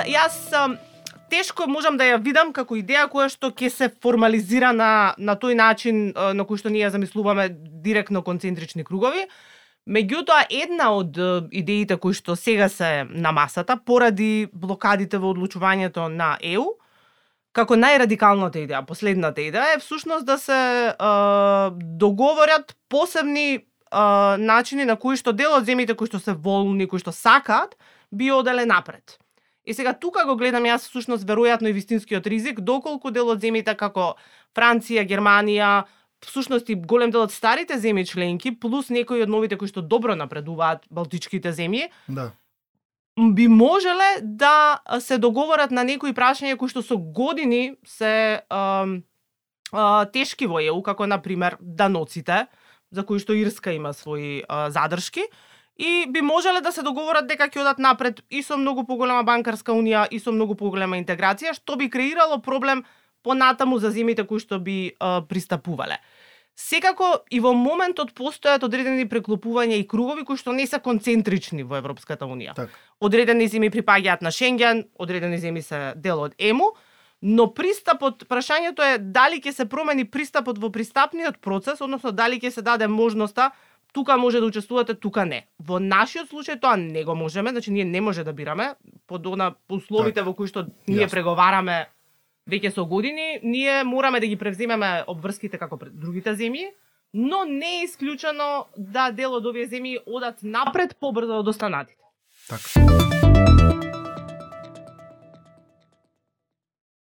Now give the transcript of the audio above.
Јас тешко можам да ја видам како идеја која што ќе се формализира на тој начин на кој што ние замислуваме директно концентрични кругови. Меѓутоа, една од идеите кои што сега се на масата, поради блокадите во одлучувањето на ЕУ, како најрадикалната идеја, последната идеја е всушност да се договорат посебни начини на кои што дел од земјите кои што се волни, кои што сакаат, би оделе напред. И сега тука го гледам јас всушност веројатно и вистинскиот ризик, доколку дел од земјите како Франција, Германија, всушност и голем дел од старите земји членки, плюс некои од новите кои што добро напредуваат, балтичките земји, Да. би можеле да се договорат на некои прашања кои што со години се тешки во ЕУ, како на пример даноците, за кои што Ирска има своји задршки, и би можеле да се договорат дека ќе одат напред и со многу поголема банкарска унија и со многу поголема интеграција, што би креирало проблем понатаму за земјите кои што би пристапувале. Секако и во моментот постојат одредени преклопувања и кругови кои што не се концентрични во Европската унија. Так. Одредени земји припаѓаат на Шенген, одредени земји се дел од ЕМУ, но пристапот, прашањето е дали ќе се промени пристапот во пристапниот процес, односно дали ќе се даде можноста тука може да учествувате, тука не. Во нашиот случај тоа не го можеме, значи ние не може да бираме под условите во кои што ние преговараме веќе со години, ние мораме да ги превземеме обврските како пред другите земји, но не е исклучено да дел од овие земји одат напред побрзо од останатите. Така.